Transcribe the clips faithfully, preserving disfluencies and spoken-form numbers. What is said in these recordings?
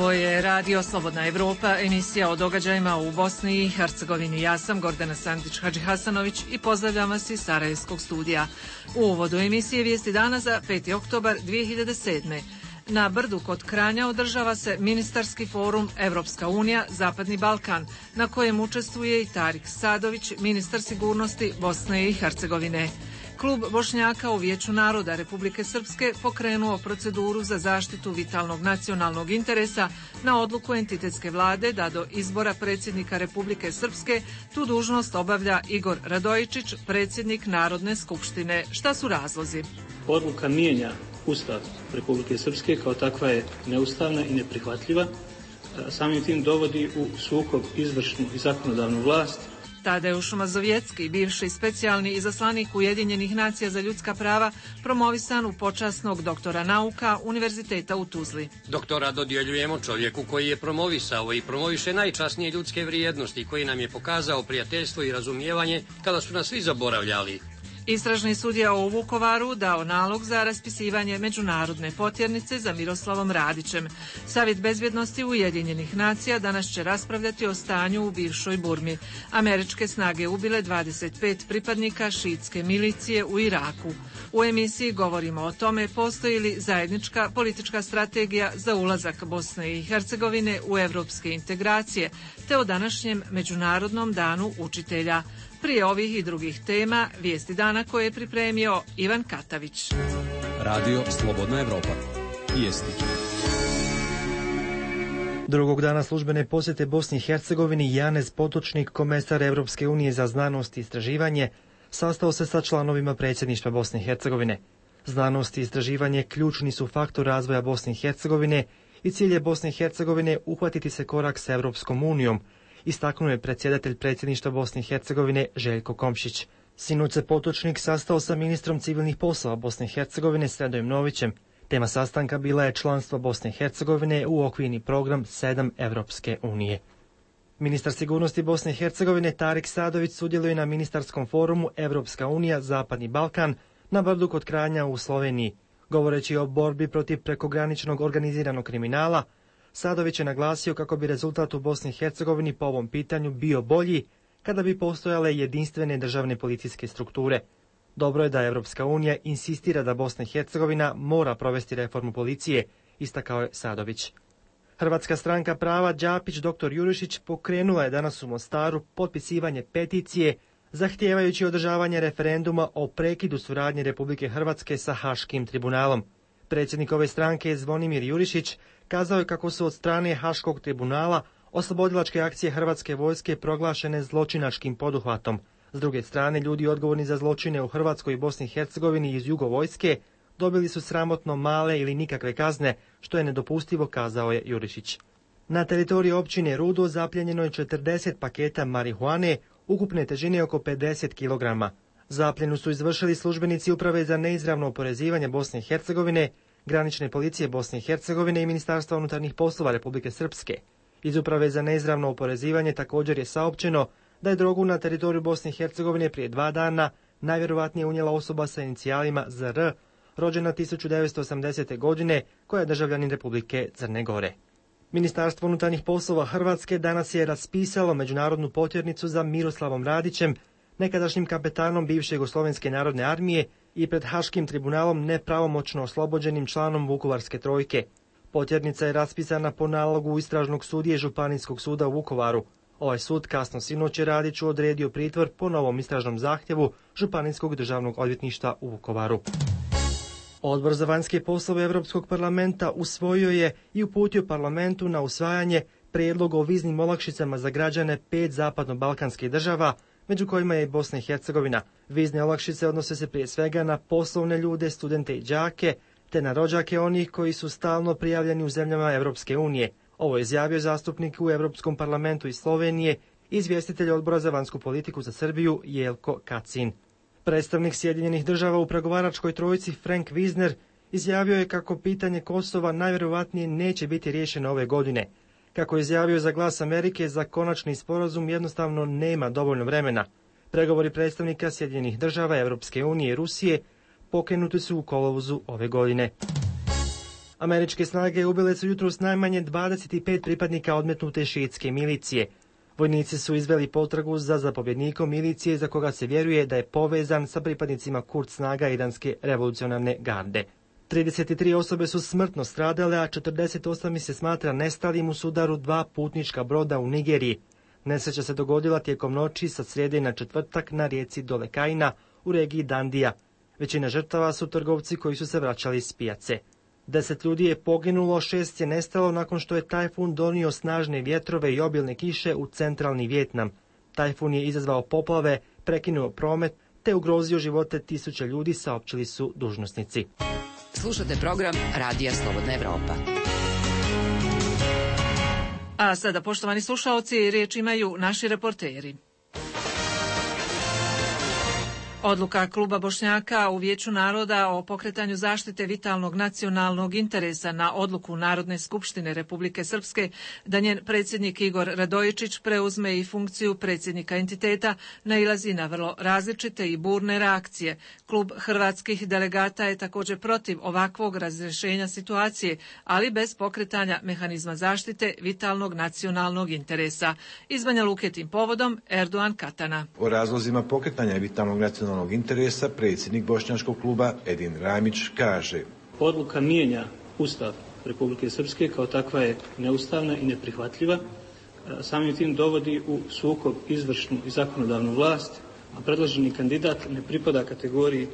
Ovo je Radio Slobodna Evropa, emisija o događajima u Bosni i Hercegovini. Ja sam Gordana Sandić-Hadžihasanović i pozdravljam vas iz Sarajevskog studija. U uvodu emisije Vijesti dana za peti oktobar dvije hiljade sedme. Na Brdu kod Kranja održava se ministarski forum Evropska unija – Zapadni Balkan, na kojem učestvuje i Tarik Sadović, ministar sigurnosti Bosne i Hercegovine. Klub Bošnjaka u Vijeću naroda Republike Srpske pokrenuo proceduru za zaštitu vitalnog nacionalnog interesa na odluku entitetske vlade da do izbora predsjednika Republike Srpske tu dužnost obavlja Igor Radojičić, predsjednik Narodne skupštine. Šta su razlozi? Odluka mijenja Ustav Republike Srpske, kao takva je neustavna i neprihvatljiva. Samim tim dovodi u sukob izvršnu i zakonodavnu vlast. Tadeuš Mazovjetski, bivši specijalni izaslanik Ujedinjenih nacija za ljudska prava, promovisan u počasnog doktora nauka Univerziteta u Tuzli. Doktora dodjeljujemo čovjeku koji je promovisao i promoviše najčasnije ljudske vrijednosti, koji nam je pokazao prijateljstvo i razumijevanje kada su nas svi zaboravljali. Istražni sudija u Vukovaru dao nalog za raspisivanje međunarodne potjernice za Miroslavom Radićem. Savjet bezbjednosti Ujedinjenih nacija danas će raspravljati o stanju u bivšoj Burmi. Američke snage ubile dvadeset pet pripadnika šiitske milicije u Iraku. U emisiji govorimo o tome postoji li zajednička politička strategija za ulazak Bosne i Hercegovine u evropske integracije, te o današnjem Međunarodnom danu učitelja. Prije ovih i drugih tema, vijesti dana koje je pripremio Ivan Katavić. Radio Slobodna Evropa. Vijesti. Drugog dana službene posjete Bosni i Hercegovini Janez Potočnik, komesar Evropske unije za znanost i istraživanje, sastao se sa članovima predsjedništva Bosne i Hercegovine. Znanost i istraživanje ključni su faktor razvoja Bosne i Hercegovine i cilj je Bosne i Hercegovine uhvatiti se korak sa Evropskom unijom, istaknuo je predsjedatelj predsjedništva Bosne i Hercegovine Željko Komšić. Sinoć se Potočnik sastao sa ministrom civilnih poslova Bosne i Hercegovine Sredojem Novićem. Tema sastanka bila je članstvo Bosne i Hercegovine u okvirni program sedam Evropske unije. Ministar sigurnosti Bosne i Hercegovine Tarik Sadović sudjeluje na ministarskom forumu Evropska unija – Zapadni Balkan na Brdu kod Kranja u Sloveniji. Govoreći o borbi protiv prekograničnog organiziranog kriminala, Sadović je naglasio kako bi rezultat u Bosni i Hercegovini po ovom pitanju bio bolji kada bi postojale jedinstvene državne policijske strukture. Dobro je da Evropska unija insistira da Bosna i Hercegovina mora provesti reformu policije, istakao je Sadović. Hrvatska stranka prava Đapić doktor Jurišić pokrenula je danas u Mostaru potpisivanje peticije zahtijevajući održavanje referenduma o prekidu suradnje Republike Hrvatske sa Haškim tribunalom. Predsjednik ove stranke Zvonimir Jurišić kazao je kako su od strane Haškog tribunala oslobodilačke akcije hrvatske vojske proglašene zločinačkim poduhvatom. S druge strane, ljudi odgovorni za zločine u Hrvatskoj i Bosni i Hercegovini iz jugovojske dobili su sramotno male ili nikakve kazne, što je nedopustivo, kazao je Jurišić. Na teritoriji općine Rudo zapljenjeno je četrdeset paketa marihuane, ukupne težine oko pedeset kilograma. Zapljenu su izvršili službenici Uprave za neizravno oporezivanje Bosne i Hercegovine, Granične policije Bosne i Hercegovine i Ministarstva unutarnjih poslova Republike Srpske. Iz Uprave za neizravno oporezivanje također je saopćeno da je drogu na teritoriju Bosne i Hercegovine prije dva dana najvjerovatnije unijela osoba sa inicijalima Z R, rođena tisuću devetsto osamdesete. godine, koja je državljanin Republike Crne Gore. Ministarstvo unutarnjih poslova Hrvatske danas je raspisalo međunarodnu potjernicu za Miroslavom Radićem, nekadašnjim kapetanom bivše Jugoslovenske narodne armije i pred Haškim tribunalom nepravomoćno oslobođenim članom Vukovarske trojke. Potjernica je raspisana po nalogu istražnog sudije Županijskog suda u Vukovaru. Ovaj sud kasno sinoć je Radiću odredio pritvor po novom istražnom zahtjevu Županijskog državnog odvjetništva u Vukovaru. Odbor za vanjske poslove Europskog parlamenta usvojio je i uputio parlamentu na usvajanje prijedlog o viznim olakšicama za građane pet zapadno-balkanskih država, među kojima je i Bosna i Hercegovina. Vizne olakšice odnose se prije svega na poslovne ljude, studente i đake, te na rođake onih koji su stalno prijavljeni u zemljama Europske unije. Ovo je izjavio zastupnik u Europskom parlamentu iz Slovenije, izvjestitelj Odbora za vanjsku politiku za Srbiju Jelko Kacin. Predstavnik Sjedinjenih država u pregovaračkoj trojici Frank Wisner izjavio je kako pitanje Kosova najvjerojatnije neće biti riješeno ove godine. Kako je izjavio za Glas Amerike, za konačni sporazum jednostavno nema dovoljno vremena. Pregovori predstavnika Sjedinjenih država, Europske unije i Rusije pokrenuti su u kolovozu ove godine. Američke snage ubile su jutros najmanje dvadeset pet pripadnika odmetnute šiitske milicije. Vojnici su izveli potragu za zapovjednikom milicije za koga se vjeruje da je povezan sa pripadnicima Kurd snaga iranske revolucionarne garde. trideset tri osobe su smrtno stradale, a četrdeset osam ih se smatra nestalim u sudaru dva putnička broda u Nigeriji. Nesreća se dogodila tijekom noći sa srijede na četvrtak na rijeci Dolekaina u regiji Dandija. Većina žrtava su trgovci koji su se vraćali s pijace. Deset ljudi je poginulo, šest je nestalo nakon što je tajfun donio snažne vjetrove i obilne kiše u centralni Vijetnam. Tajfun je izazvao poplave, prekinuo promet te ugrozio živote tisuća ljudi, saopćili su dužnosnici. Slušate program Radija Slobodna Evropa. A sada, poštovani slušaoci, riječ imaju naši reporteri. Odluka Kluba Bošnjaka u Vijeću naroda o pokretanju zaštite vitalnog nacionalnog interesa na odluku Narodne skupštine Republike Srpske da njen predsjednik Igor Radojičić preuzme i funkciju predsjednika entiteta nailazi na vrlo različite i burne reakcije. Klub hrvatskih delegata je također protiv ovakvog razrješenja situacije, ali bez pokretanja mehanizma zaštite vitalnog nacionalnog interesa. Iz Banja Luke tim povodom Erdogan Katana. O razlozima pokretanja vitalnog nacionalnog interesa predsjednik bošnjačkog kluba Edin Ramić kaže: Odluka mijenja Ustav Republike Srpske, kao takva je neustavna i neprihvatljiva. Samim tim dovodi u sukob izvršnu i zakonodavnu vlast, a predloženi kandidat ne pripada kategoriji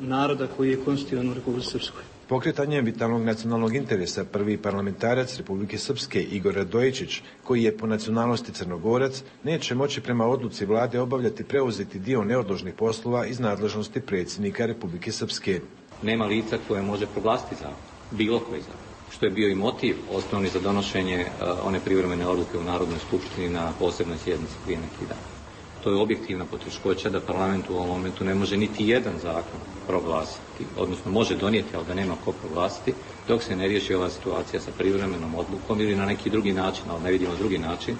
naroda koji je konstitutivan u Republici Srpskoj. Pokretanjem vitalnog nacionalnog interesa prvi parlamentarac Republike Srpske Igor Radojičić, koji je po nacionalnosti Crnogorac, neće moći prema odluci vlade obavljati preuzeti dio neodložnih poslova iz nadležnosti predsjednika Republike Srpske. Nema lica koje može proglasiti zakon, bilo koji zakon, što je bio i motiv osnovni za donošenje uh, one privremene odluke u Narodnoj skupštini na posebnoj sjednici prije neki dan. To je objektivna poteškoća da parlament u ovom momentu ne može niti jedan zakon proglasiti, odnosno može donijeti, ali da nema ko proglasiti, dok se ne riješi ova situacija sa privremenom odlukom ili na neki drugi način, ali ne vidimo drugi način,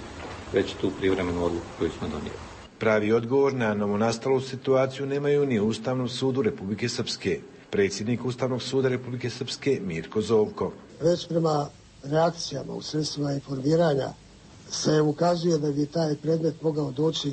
već tu privremenu odluku koju smo donijeli. Pravi odgovor na novonastalu situaciju nemaju ni u Ustavnom sudu Republike Srpske. Predsjednik Ustavnog suda Republike Srpske Mirko Zovko. Već prema reakcijama u sredstvima informiranja se ukazuje da bi taj predmet mogao doći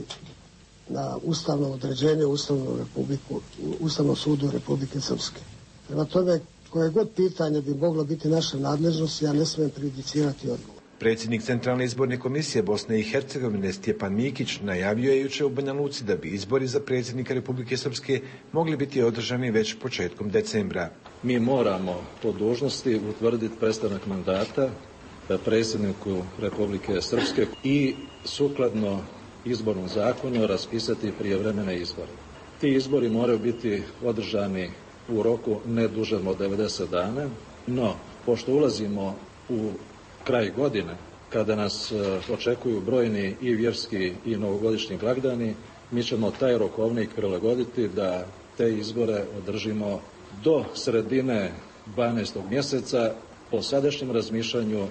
na ustavno određenje Ustavnog, Republiku, Ustavnog sudu Republike Srpske. Prema tome, koje god pitanje bi moglo biti naša nadležnost, ja ne smijem prejudicirati odgovor. Predsjednik Centralne izborne komisije Bosne i Hercegovine Stjepan Mikić najavio je jučer u Banja Luci da bi izbori za predsjednika Republike Srpske mogli biti održani već početkom decembra. Mi moramo po dužnosti utvrditi prestanak mandata predsjedniku Republike Srpske i sukladno izbornom zakonu raspisati prijevremene izbore. Ti izbori moraju biti održani u roku ne dužem od devedeset dana, no pošto ulazimo u kraj godine, kada nas očekuju brojni i vjerski i novogodišnji blagdani, mi ćemo taj rokovnik prilagoditi da te izbore održimo do sredine dvanaestog mjeseca. Po sadašnjem razmišljanju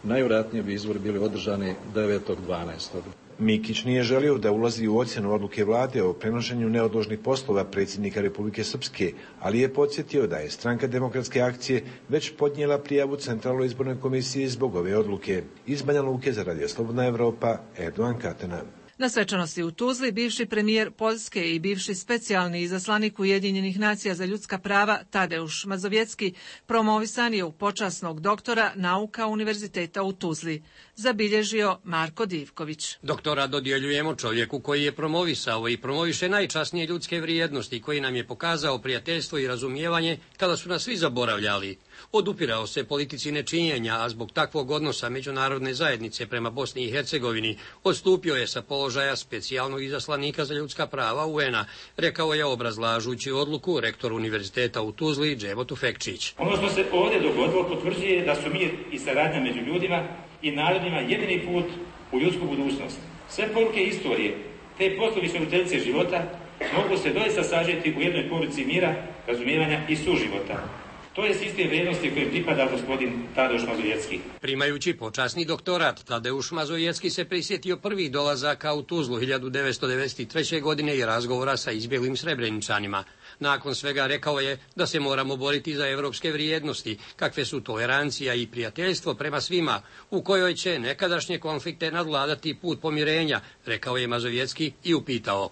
najvjerojatnije bi izbori bili održani devetog dvanaestog Mikić nije želio da ulazi u ocjenu odluke vlade o prenošenju neodložnih poslova predsjednika Republike Srpske, ali je podsjetio da je Stranka demokratske akcije već podnijela prijavu Centralnoj izbornoj komisiji zbog ove odluke. Iz Banja Luke za Radio Slobodna Evropa, Erdogan Katana. Na svečanosti u Tuzli bivši premijer Poljske i bivši specijalni izaslanik Ujedinjenih nacija za ljudska prava Tadeusz Mazovjetski promovisan je u počasnog doktora nauka Univerziteta u Tuzli, zabilježio Marko Divković. Doktora dodjeljujemo čovjeku koji je promovisao i promoviše najčasnije ljudske vrijednosti, koji nam je pokazao prijateljstvo i razumijevanje kada su nas svi zaboravljali. Odupirao se politici nečinjenja, a zbog takvog odnosa međunarodne zajednice prema Bosni i Hercegovini odstupio je sa položaja specijalnog izaslanika za ljudska prava U N-a, rekao je obrazlažući odluku rektor Univerziteta u Tuzli Dževo Tufekčić. Ono što se ovdje dogodilo potvrđuje da su mir i saradnja među ljudima i narodima jedini put u ljudsku budućnost. Sve poruke istorije, te poslovi stvoriteljice života mogu se doista sažeti u jednoj poruci mira, razumijevanja i suživota. To je sistem vrijednosti kojem pripada gospodin Tadeusz Mazojecki. Primajući počasni doktorat, Tadeusz Mazojecki se prisjetio prvih dolazaka u Tuzlu hiljadu devetsto devedeset treće. godine i razgovora sa izbjeglim Srebreničanima. Nakon svega rekao je da se moramo boriti za evropske vrijednosti, kakve su tolerancija i prijateljstvo prema svima, u kojoj će nekadašnje konflikte nadvladati put pomirenja, rekao je Mazojecki i upitao.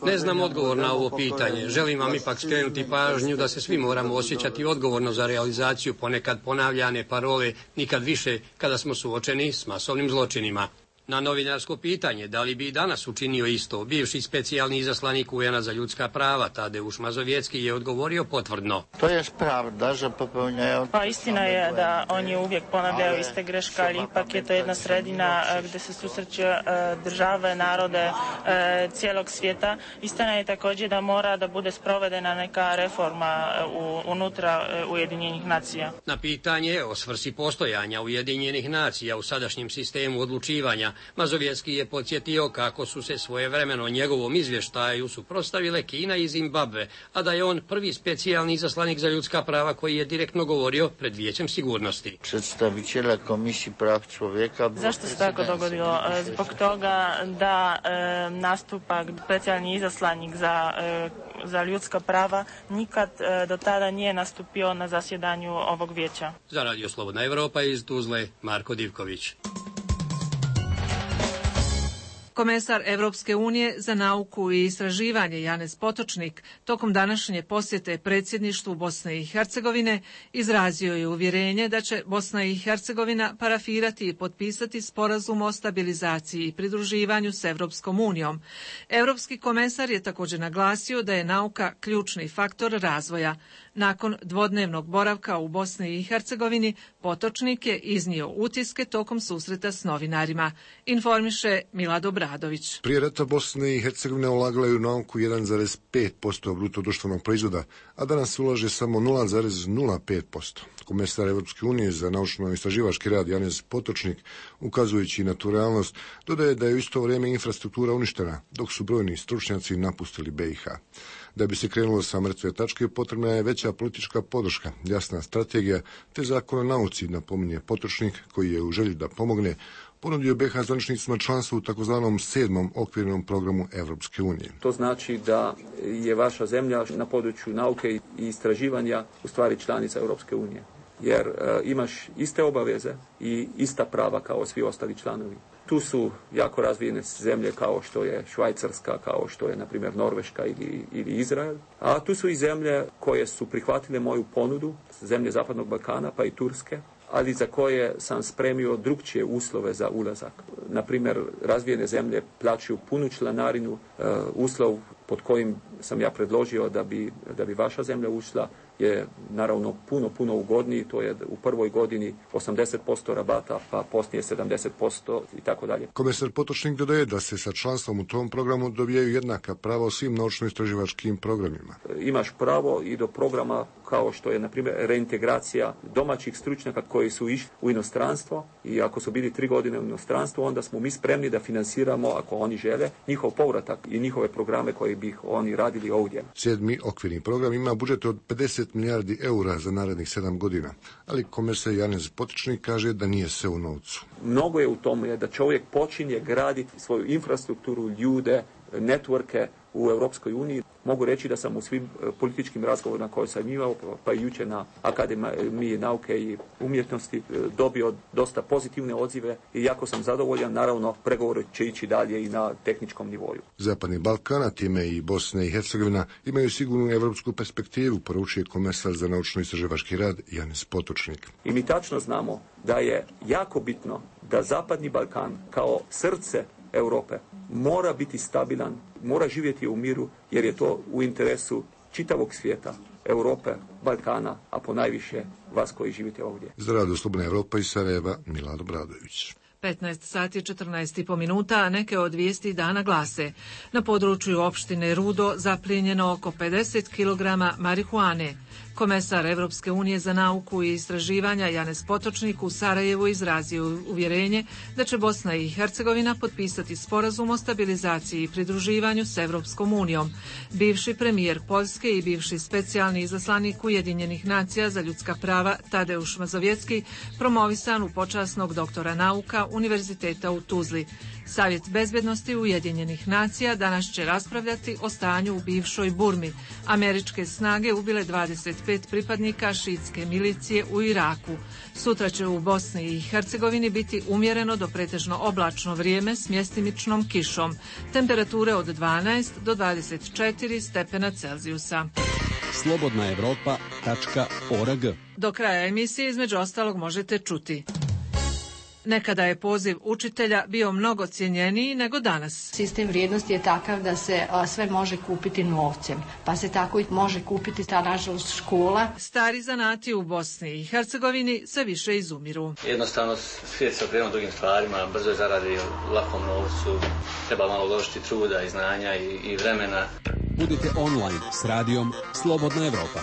Ne znam odgovor na ovo pitanje, želim vam ipak skrenuti pažnju da se svi moramo osjećati odgovorno za realizaciju ponekad ponavljane parole nikad više kada smo suočeni s masovnim zločinima. Na novinarsko pitanje da li bi i danas učinio isto, bivši specijalni izaslanik U N-a za ljudska prava Tadeusz Mazojecki je odgovorio potvrdno. To je pravda, že popełniają... Pa istina je da oni uvijek ponavljaju iste greške, ali ipak je to jedna sredina gdje se susreću države, narode cijelog svijeta. Istina je također da mora da bude sprovedena neka reforma unutra Ujedinjenih nacija. Na pitanje o svrsi postojanja Ujedinjenih nacija u sadašnjem sistemu odlučivanja, Mazovjetski je podsjetio kako su se svojevremeno njegovom izvještaju suprotstavile Kina i Zimbabve, a da je on prvi specijalni izaslanik za ljudska prava koji je direktno govorio pred Vijećem sigurnosti. Predstavitelja Komisije prav čovjeka. Zašto se tako dogodilo? Zbog toga da e, nastupa specijalni izaslanik za, e, za ljudska prava nikad e, do tada nije nastupio na zasjedanju ovog vijeća. Za Radio Slobodna Evropa iz Tuzle, Marko Divković. Komesar Evropske unije za nauku i istraživanje Janez Potočnik tokom današnje posjete predsjedništvu Bosne i Hercegovine izrazio je uvjerenje da će Bosna i Hercegovina parafirati i potpisati sporazum o stabilizaciji i pridruživanju s Evropskom unijom. Evropski komesar je također naglasio da je nauka ključni faktor razvoja. Nakon dvodnevnog boravka u Bosni i Hercegovini, Potočnik je iznio utiske tokom susreta s novinarima. Informiše Milado Bradović. Prije rata Bosne i Hercegovine ulagala je u nauku jedan zarez pet posto bruto društvenog proizvoda, a danas ulaže samo nula zarez nula pet posto. Komesar Evropske unije za naučno-istraživački rad Janez Potočnik, ukazujući na tu realnost, dodaje da je u isto vrijeme infrastruktura uništena, dok su brojni stručnjaci napustili B i H. Da bi se krenulo sa mrtve tačke, potrebna je veća politička podrška, jasna strategija te zakon o nauci, napominje Potočnik, koji je u želji da pomogne ponudio B i H zvaničnicima članstvo u takozvanom sedmom okvirnom programu Evropske unije. To znači da je vaša zemlja na području nauke i istraživanja u stvari članica Europske unije, jer e, imaš iste obaveze i ista prava kao svi ostali članovi. Tu su jako razvijene zemlje kao što je Švajcarska, kao što je, na primjer, Norveška ili, ili Izrael. A tu su i zemlje koje su prihvatile moju ponudu, zemlje Zapadnog Balkana pa i Turske, ali za koje sam spremio drukčije uslove za ulazak. Na primjer, razvijene zemlje plaćaju punu članarinu, uh, uslov pod kojim sam ja predložio da bi, da bi vaša zemlja ušla je naravno puno, puno ugodniji, to je u prvoj godini osamdeset posto rabata, pa poslije sedamdeset posto i tako dalje. Komesar Potočnik dodaje da se sa članstvom u tom programu dobijaju jednaka prava u svim naučno-istraživačkim programima. Imaš pravo i do programa kao što je, na primjer, reintegracija domaćih stručnjaka koji su išli u inostranstvo i ako su bili tri godine u inostranstvu, onda smo mi spremni da finansiramo, ako oni žele, njihov povratak i njihove programe koje bi oni radili ovdje. Sedmi okvirni program ima budžet od pedeset milijardi eura za narednih sedam godina, ali komesar Janez Potočnik kaže da nije sve u novcu. Mnogo je u tome da čovjek počinje graditi svoju infrastrukturu, ljude, networke u Europskoj uniji. Mogu reći da sam u svim političkim razgovorima koje sam imao, pa i jučer na Akademiji nauke i umjetnosti, dobio dosta pozitivne odzive i jako sam zadovoljan. Naravno, pregovori će ići dalje i na tehničkom nivoju. Zapadni Balkan, a time i Bosna i Hercegovina, imaju sigurnu evropsku perspektivu, poručuje komesar za naučno-istraživački rad Janez Potočnik. I mi tačno znamo da je jako bitno da Zapadni Balkan kao srce Europe mora biti stabilan, mora živjeti u miru, jer je to u interesu čitavog svijeta, Europe, Balkana, a ponajviše vas koji živite ovdje. Za Radio Slobodna Evropa iz Sarajeva, Milado Bradović. petnaest sati četrnaest i po minuta, a neke od vijesti dana glase. Na području opštine Rudo zaplijenjeno oko pedeset kilograma marihuane. Komesar Evropske unije za nauku i istraživanja Janez Potočnik u Sarajevu izrazio uvjerenje da će Bosna i Hercegovina potpisati sporazum o stabilizaciji i pridruživanju s Evropskom unijom. Bivši premijer Poljske i bivši specijalni izaslanik Ujedinjenih nacija za ljudska prava Tadeuš Mazovjetski promovisan u počasnog doktora nauka Univerziteta u Tuzli. Savjet bezbjednosti Ujedinjenih nacija danas će raspravljati o stanju u bivšoj Burmi. Američke snage ubile dvadeset pet pripadnika šiitske milicije u Iraku. Sutra će u Bosni i Hercegovini biti umjereno do pretežno oblačno vrijeme s mjestimičnom kišom. Temperature od dvanaest do dvadeset četiri stepena Celzijusa. slobodna evropa tačka org. Do kraja emisije između ostalog možete čuti. Nekada je poziv učitelja bio mnogo cijenjeniji nego danas. Sistem vrijednosti je takav da se a, sve može kupiti novcem, pa se tako i može kupiti ta nažalost škola. Stari zanati u Bosni i Hercegovini sve više izumiru. Jednostavno svijet se okrenuo drugim stvarima, brzo je zaradi lakom novcu, treba malo uložiti truda i znanja i, i vremena. Budite online s radijom Slobodna Evropa.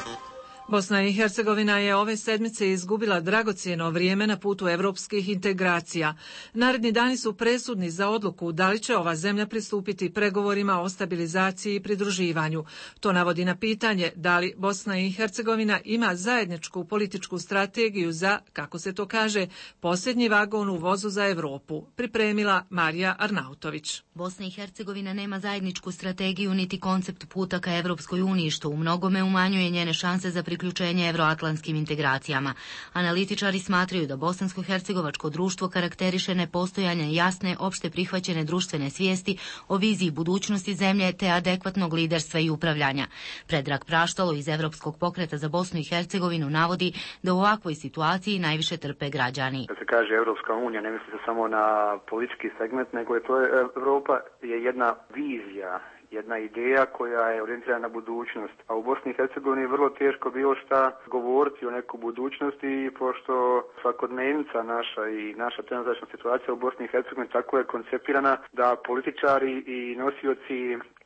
Bosna i Hercegovina je ove sedmice izgubila dragocjeno vrijeme na putu evropskih integracija. Naredni dani su presudni za odluku da li će ova zemlja pristupiti pregovorima o stabilizaciji i pridruživanju. To navodi na pitanje da li Bosna i Hercegovina ima zajedničku političku strategiju za, kako se to kaže, posljednji vagon u vozu za Europu, pripremila Marija Arnautović. Bosna i Hercegovina nema zajedničku strategiju niti koncept puta ka Evropskoj uniji, što u mnogome umanjuje njene šanse za priključenje evroatlantskim integracijama. Analitičari smatraju da bosansko-hercegovačko društvo karakteriše nepostojanje jasne, opšte prihvaćene društvene svijesti o viziji budućnosti zemlje te adekvatnog liderstva i upravljanja. Predrag Praštalo iz Evropskog pokreta za Bosnu i Hercegovinu navodi da u ovakvoj situaciji najviše trpe građani. Kad se kaže Evropska unija, ne misli se samo na politički segment, nego je to Evropa je jedna vizija, jedna ideja koja je orijentirana na budućnost. A u Bosni i Hercegovini je vrlo teško bilo šta govoriti o nekoj budućnosti, pošto svakodnevnica naša i naša trenutačna situacija u Bosni i Hercegovini tako je koncipirana da političari i nosioci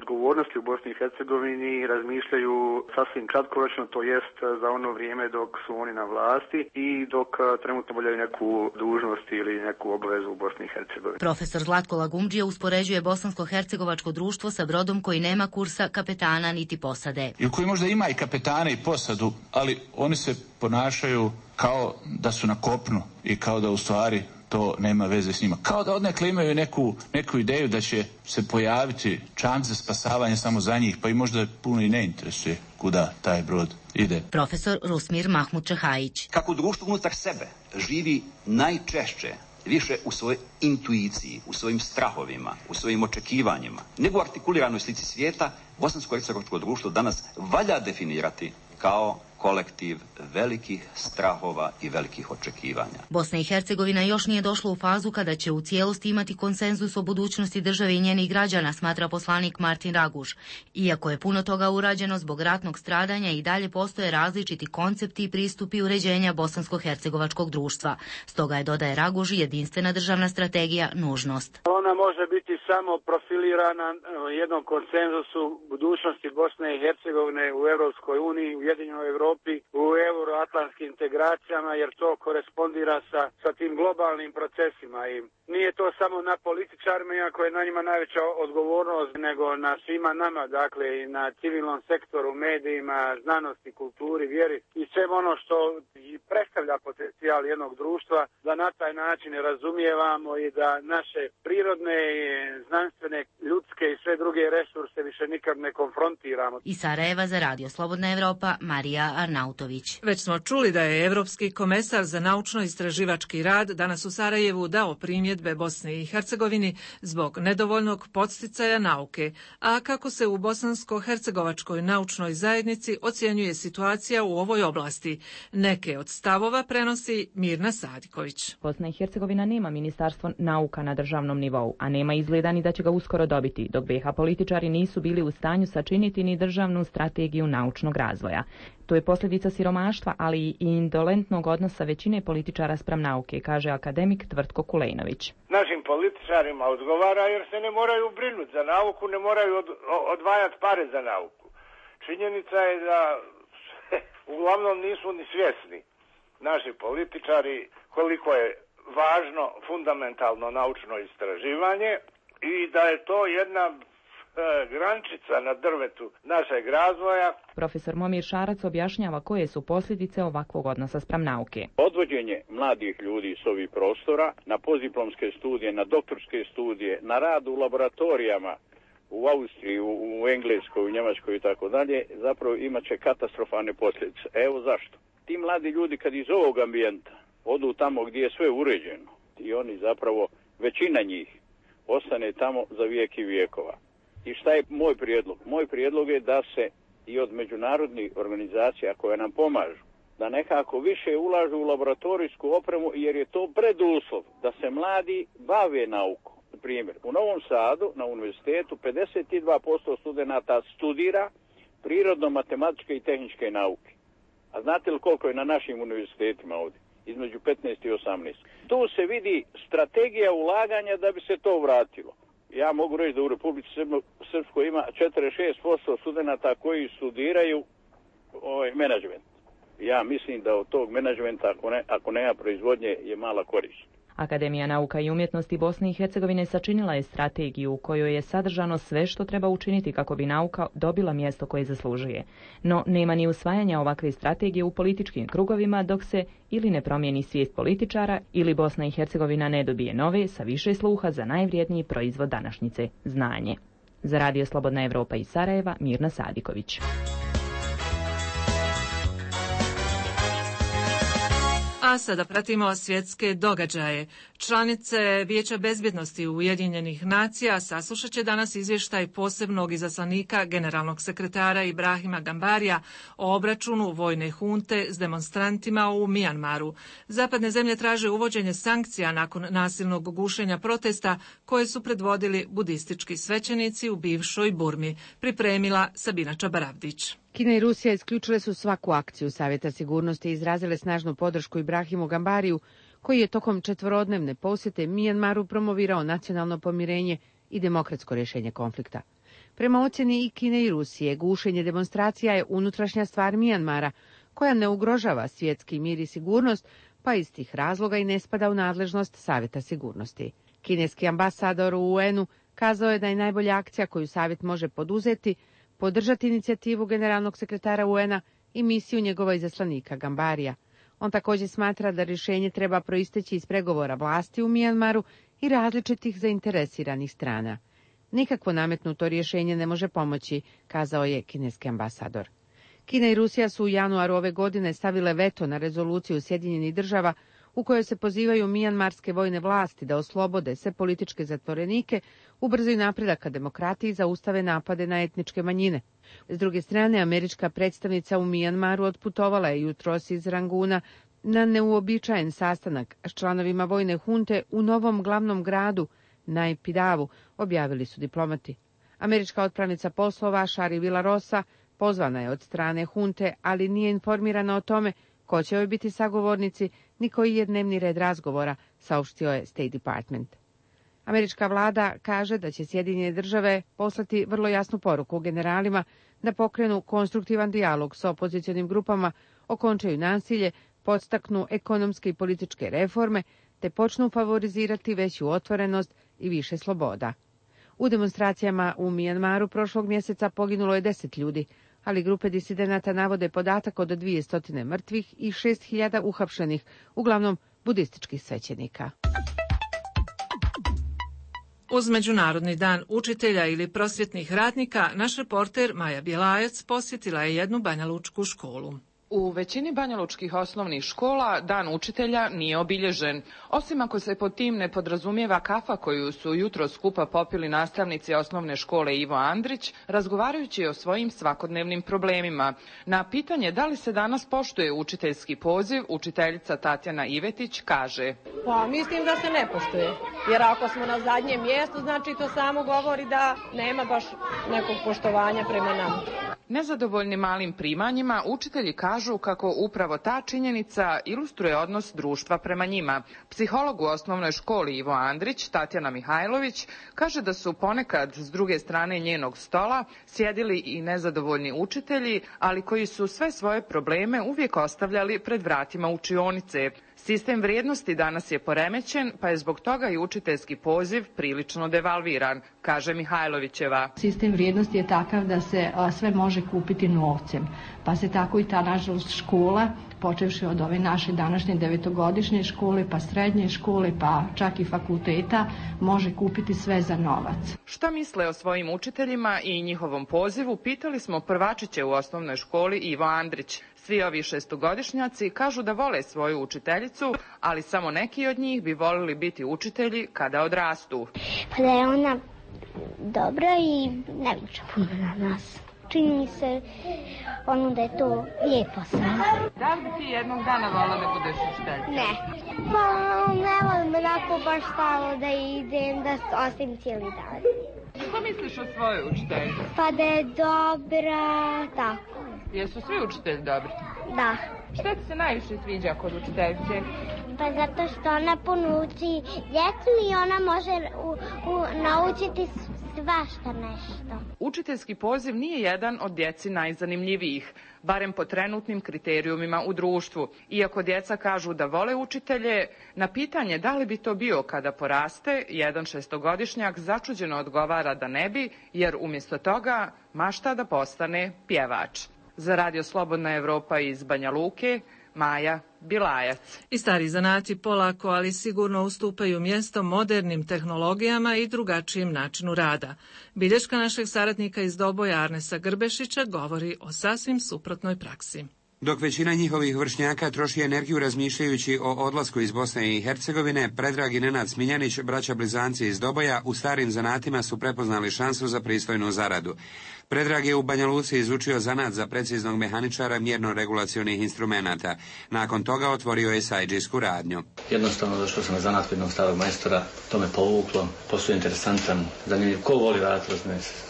odgovornosti u Bosni i Hercegovini razmišljaju sasvim kratkoročno, to jest za ono vrijeme dok su oni na vlasti i dok trenutno obavljaju neku dužnost ili neku obavezu u Bosni i Hercegovini. Profesor Zlatko Lagumdžija uspoređuje bosansko-hercegovačko društvo sa brodom koji nema kursa, kapetana niti posade. I koji možda ima i kapetana i posadu, ali oni se ponašaju kao da su na kopnu i kao da u stvari to nema veze s njima. Kao da odnekle imaju neku, neku ideju da će se pojaviti čamc za spasavanje samo za njih, pa i možda puno i ne interesuje kuda taj brod ide. Profesor Rusmir Mahmud Čahajić. Kako društvo unutar sebe živi najčešće više u svojoj intuiciji, u svojim strahovima, u svojim očekivanjima, nego u artikuliranoj slici svijeta, bosansko-hercegovačko društvo danas valja definirati kao kolektiv velikih strahova i velikih očekivanja. Bosna i Hercegovina još nije došla u fazu kada će u cijelosti imati konsenzus o budućnosti države i njenih građana, smatra poslanik Martin Raguž. Iako je puno toga urađeno zbog ratnog stradanja, i dalje postoje različiti koncepti i pristupi uređenja bosansko-hercegovačkog društva. Stoga je, dodaje Raguž, jedinstvena državna strategija nužnost. Ona može biti samo profilirana jednom konsenzusu budućnosti Bosne i Hercegovine u Europskoj uniji, u Ujedinjenoj Evropi, u euroatlantskim integracijama, jer to korespondira sa, sa tim globalnim procesima i nije to samo na političarima, iako je na njima najveća odgovornost, nego na svima nama, dakle i na civilnom sektoru, medijima, znanosti, kulturi, vjeri i sve ono što predstavlja potencijal jednog društva, da na taj način razumijevamo i da naše prirodne, znanstvene, ljudske i sve druge resurse više nikad ne konfrontiramo. Iz Sarajeva za Radio Slobodna Evropa, Marija Arnautović. Već smo čuli da je Evropski komesar za naučno-istraživački rad danas u Sarajevu dao primjedbe Bosni i Hercegovini zbog nedovoljnog podsticaja nauke, a kako se u bosansko-hercegovačkoj naučnoj zajednici ocjenjuje situacija u ovoj oblasti. Neke od stavova prenosi Mirna Sadiković. Bosna i Hercegovina nema ministarstvo nauka na državnom nivou, a nema izgleda ni da će ga uskoro dobiti, dok B iH političari nisu bili u stanju sačiniti ni državnu strategiju naučnog razvoja. To je posljedica siromaštva, ali i indolentnog odnosa većine političara spram nauke, kaže akademik Tvrtko Kulejnović. Našim političarima odgovara jer se ne moraju brinuti za nauku, ne moraju od, odvajati pare za nauku. Činjenica je da uglavnom nisu ni svjesni naši političari koliko je važno fundamentalno naučno istraživanje i da je to jedna grančica na drvetu našeg razvoja. Profesor Momir Šarac objašnjava koje su posljedice ovakvog odnosa spram nauke. Odvođenje mladih ljudi s ovih prostora na postdiplomske studije, na doktorske studije, na rad u laboratorijama u Austriji, u, u Engleskoj, u Njemačkoj i tako dalje, zapravo imat će katastrofalne posljedice. Evo zašto. Ti mladi ljudi kad iz ovog ambijenta odu tamo gdje je sve uređeno i oni zapravo, većina njih, ostane tamo za vijek i vijekova. I šta je moj prijedlog? Moj prijedlog je da se i od međunarodnih organizacija koje nam pomažu, da nekako više ulažu u laboratorijsku opremu jer je to preduslov da se mladi bave naukom. Primjer, u Novom Sadu na univerzitetu pedeset dva posto studenata studira prirodno-matematičke i tehničke nauke. A znate li koliko je na našim univerzitetima ovdje? Između petnaest i osamnaest. Tu se vidi strategija ulaganja da bi se to vratilo. Ja mogu reći da u Republici Srpskoj ima četrdeset šest posto studenata koji studiraju ovaj, menadžment. Ja mislim da od tog menadžmenta, ako, ne, ako nema proizvodnje, je mala korist. Akademija nauka i umjetnosti Bosne i Hercegovine sačinila je strategiju u kojoj je sadržano sve što treba učiniti kako bi nauka dobila mjesto koje zaslužuje. No nema ni usvajanja ovakve strategije u političkim krugovima dok se ili ne promijeni svijest političara ili Bosna i Hercegovina ne dobije nove sa više sluha za najvrijedniji proizvod današnjice, znanje. Za Radio Slobodna Evropa iz Sarajeva, Mirna Sadiković. A sada pratimo svjetske događaje. Članice Vijeća bezbjednosti Ujedinjenih nacija saslušat će danas izvještaj posebnog izaslanika generalnog sekretara Ibrahima Gambarija o obračunu vojne hunte s demonstrantima u Mijanmaru. Zapadne zemlje traže uvođenje sankcija nakon nasilnog gušenja protesta koje su predvodili budistički svećenici u bivšoj Burmi. Pripremila Sabina Čabaravdić. Kina i Rusija isključile su svaku akciju Savjeta sigurnosti i izrazile snažnu podršku Ibrahimu Gambariju, koji je tokom četvorodnevne posjete Mijanmaru promovirao nacionalno pomirenje i demokratsko rješenje konflikta. Prema ocjeni i Kine i Rusije, gušenje demonstracija je unutrašnja stvar Mijanmara, koja ne ugrožava svjetski mir i sigurnost, pa iz tih razloga i ne spada u nadležnost Savjeta sigurnosti. Kineski ambasador u U N-u kazao je da je najbolja akcija koju Savjet može poduzeti podržati inicijativu generalnog sekretara U N-a i misiju njegova izaslanika Gambarija. On također smatra da rješenje treba proisteći iz pregovora vlasti u Mijanmaru i različitih zainteresiranih strana. Nikakvo nametnuto rješenje ne može pomoći, kazao je kineski ambasador. Kina i Rusija su u januaru ove godine stavile veto na rezoluciju Sjedinjenih država u kojoj se pozivaju mijanmarske vojne vlasti da oslobode sve političke zatvorenike, ubrzaju napredak ka demokratiji i zaustave napade na etničke manjine. S druge strane, američka predstavnica u Mijanmaru otputovala je jutros iz Ranguna na neuobičajen sastanak s članovima vojne hunte u novom glavnom gradu, Naypyidawu, objavili su diplomati. Američka otpravnica poslova Shari Villarosa pozvana je od strane hunte, ali nije informirana o tome ko će joj biti sagovornici, ni koji je dnevni red razgovora, saopštio je State Department. Američka vlada kaže da će Sjedinjene države poslati vrlo jasnu poruku generalima da pokrenu konstruktivan dijalog s opozicionim grupama, okončaju nasilje, podstaknu ekonomske i političke reforme, te počnu favorizirati veću otvorenost i više sloboda. U demonstracijama u Mijanmaru prošlog mjeseca poginulo je deset ljudi, ali grupe disidenata navode podatak od dvjesto mrtvih i šest hiljada uhapšenih, uglavnom budističkih svećenika. Uz Međunarodni dan učitelja ili prosvjetnih radnika, naš reporter Maja Bjelajac posjetila je jednu banjalučku školu. U većini banjalučkih osnovnih škola dan učitelja nije obilježen, osim ako se pod tim ne podrazumijeva kafa koju su jutro skupa popili nastavnici osnovne škole Ivo Andrić, razgovarajući o svojim svakodnevnim problemima. Na pitanje da li se danas poštuje učiteljski poziv, učiteljica Tatjana Ivetić kaže: Pa mislim da se ne poštuje, jer ako smo na zadnjem mjestu, znači to samo govori da nema baš nekog poštovanja prema nama. Nezadovoljni malim primanjima, učitelji kažu kažu kako upravo ta činjenica ilustruje odnos društva prema njima. Psiholog u osnovnoj školi Ivo Andrić, Tatjana Mihajlović, kaže da su ponekad s druge strane njenog stola sjedili i nezadovoljni učitelji, ali koji su sve svoje probleme uvijek ostavljali pred vratima učionice. Sistem vrijednosti danas je poremećen, pa je zbog toga i učiteljski poziv prilično devalviran, kaže Mihajlovićeva. Sistem vrijednosti je takav da se a, sve može kupiti novcem, pa se tako i ta nažalost škola, počevši od ove naše današnje devetogodišnje škole, pa srednje škole, pa čak i fakulteta, može kupiti sve za novac. Šta misle o svojim učiteljima i njihovom pozivu, pitali smo prvačiće u osnovnoj školi Ivo Andrić. Svi ovi šestogodišnjaci kažu da vole svoju učiteljicu, ali samo neki od njih bi volili biti učitelji kada odrastu. Pa da je ona dobra i ne viče puno na nas. Čini mi se ono da je to lijepo sve. Da li bi ti jednog dana volila da budeš učiteljica? Ne. Pa ne volim onako baš stalo da idem, da ostavim cijeli dan. Što misliš o svojoj učiteljici? Pa da je dobra, tako. Jesu svi učitelji dobri? Da. Šta ti se najviše sviđa kod učiteljice? Pa zato što ona puno uči djecu i ona može u, u, naučiti svašta nešto. Učiteljski poziv nije jedan od djeci najzanimljivijih, barem po trenutnim kriterijumima u društvu. Iako djeca kažu da vole učitelje, na pitanje da li bi to bio kada poraste, jedan šestogodišnjak začuđeno odgovara da ne bi, jer umjesto toga mašta da postane pjevač. Za Radio Slobodna Evropa iz Banja Luke, Maja Bilajac. I stari zanati polako, ali sigurno ustupaju mjesto modernim tehnologijama i drugačijem načinu rada. Bilješka našeg saradnika iz Doboja Arnesa Grbešića govori o sasvim suprotnoj praksi. Dok većina njihovih vršnjaka troši energiju razmišljajući o odlasku iz Bosne i Hercegovine, Predrag i Nenad Smiljanić, braća blizanci iz Doboja, u starim zanatima su prepoznali šansu za pristojnu zaradu. Predrag je u Banja Luci izučio zanat za preciznog mehaničara mjerno-regulacionih instrumenata. Nakon toga otvorio je sajdžijsku radnju. Jednostavno došao sam na zanat kod jednog starog majstora, to me povuklo, posao je interesantan, zanimljiv. Ko voli raditi,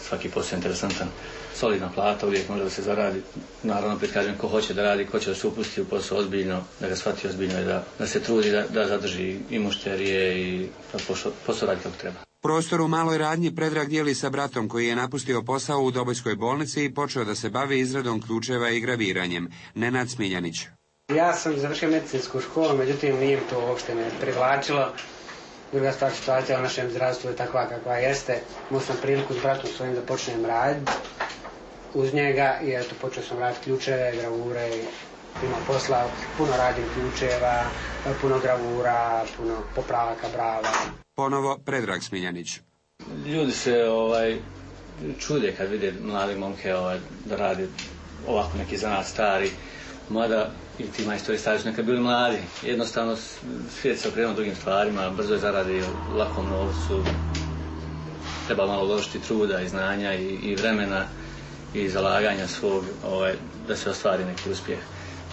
svaki posao je interesantan. Solidna plata, uvijek može da se zaradi. Naravno, opet kažem, ko hoće da radi, ko će da se upusti u posao ozbiljno, da ga shvati ozbiljno i da, da se trudi da, da zadrži i mušterije i da posao radi kako treba. Prostor u maloj radnji Predrag dijeli sa bratom koji je napustio posao u Dobojskoj bolnici i počeo da se bavi izradom ključeva i graviranjem. Nenad Smiljanić. Ja sam završio medicinsku školu, međutim nije to uopšte me privlačilo. Druga stvar, situacija u našem zdravstvu je takva kakva jeste. Imao sam priliku s bratom svojim da počnem raditi uz njega i eto počeo sam raditi ključeve, gravure, ima posla, puno radim ključeva, puno gravura, puno popravaka brava. Ponovo Predrag Smiljanić. Ljudi se ovaj čude kad vide mlade momke ovaj, da radi ovako neki zanat stari, mada i ti majstori stari su nekad bili mladi. Jednostavno svijet se okrenuo drugim stvarima, brzo je zaradi lakom novcu, treba malo uložiti truda i znanja i, i vremena i zalaganja svog ovaj, da se ostvari neki uspjeh.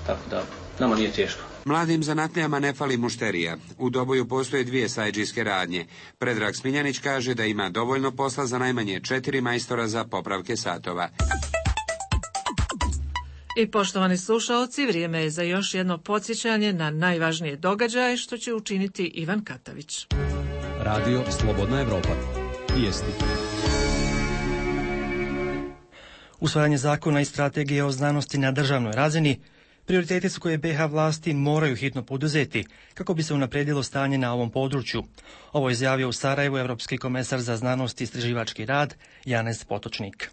Tako da nama nije teško. Mladim zanatlijama ne fali mušterija. U Doboju postoje dvije sajdžijske radnje. Predrag Smiljanić kaže da ima dovoljno posla za najmanje četiri majstora za popravke satova. I poštovani slušaoci, vrijeme je za još jedno podsjećanje na najvažnije događaje što će učiniti Ivan Katavić. Radio Slobodna Evropa. Vijesti. Usvajanje zakona i strategije o znanosti na državnoj razini prioriteti su koje be ha vlasti moraju hitno poduzeti kako bi se unaprijedilo stanje na ovom području. Ovo je izjavio u Sarajevu Europski komesar za znanost i istraživački rad Janez Potočnik.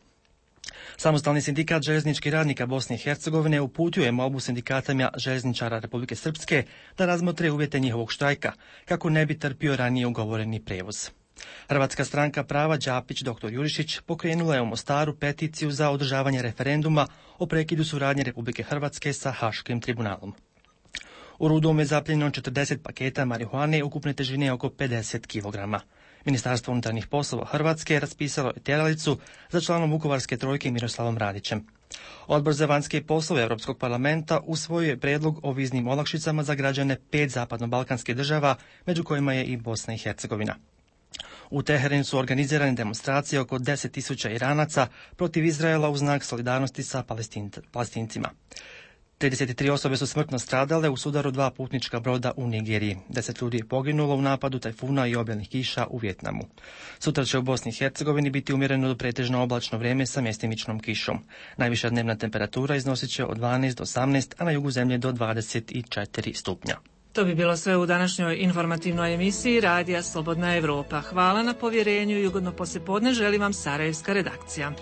Samostalni sindikat željezničkih radnika Bosne i Hercegovine uputio je molbu sindikatama željezničara Republike Srpske da razmotre uvjete njihovog štrajka kako ne bi trpio ranije ugovoreni prijevoz. Hrvatska stranka prava Đapić doktor Jurišić pokrenula je u Mostaru peticiju za održavanje referenduma o prekidu suradnje Republike Hrvatske sa Haškim tribunalom. U Rudom je zapljenjeno četrdeset paketa marihuane ukupne težine oko pedeset kilograma. Ministarstvo unutarnjih poslova Hrvatske raspisalo je tjeralicu za članom Vukovarske trojke Miroslavom Radićem. Odbor za vanjske poslove Europskog parlamenta usvojio je prijedlog o viznim olakšicama za građane pet zapadno-balkanskih država, među kojima je i Bosna i Hercegovina. U Teheranu su organizirane demonstracije oko deset tisuća Iranaca protiv Izraela u znak solidarnosti sa Palestincima. trideset tri osobe su smrtno stradale u sudaru dva putnička broda u Nigeriji. Deset ljudi je poginulo u napadu tajfuna i obilnih kiša u Vijetnamu. Sutra će u Bosni i Hercegovini biti umjereno do pretežno oblačno vrijeme sa mjestimičnom kišom. Najviša dnevna temperatura iznosit će od dvanaest do osamnaest, a na jugu zemlje do dvadeset četiri stupnja. To bi bilo sve u današnjoj informativnoj emisiji Radija Slobodna Evropa. Hvala na povjerenju i ugodno poslijepodne želi vam sarajevska redakcija.